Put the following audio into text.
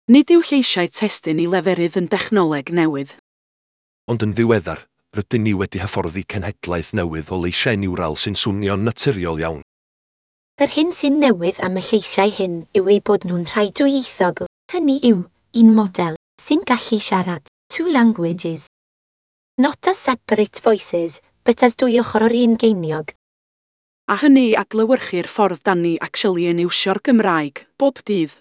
Nid yw lleisiau testun i leferydd yn dechnoleg newydd. Ond yn ddiweddar, rydyn ni wedi hyfforddi cenhedlaeth newydd o leisiau niwral sy'n swnio'n naturiol iawn. Yr hyn sy'n newydd am y lleisiau hyn yw eu bod nhw'n rhai dwyieithog, hynny yw, un model sy'n gallu siarad two languages. Not as separate voices, but as dwy ochr o'r un geiniog. A hynny i adlewyrchu'r ffordd dan ni actually yn iwsio'r Gymraeg, bob dydd.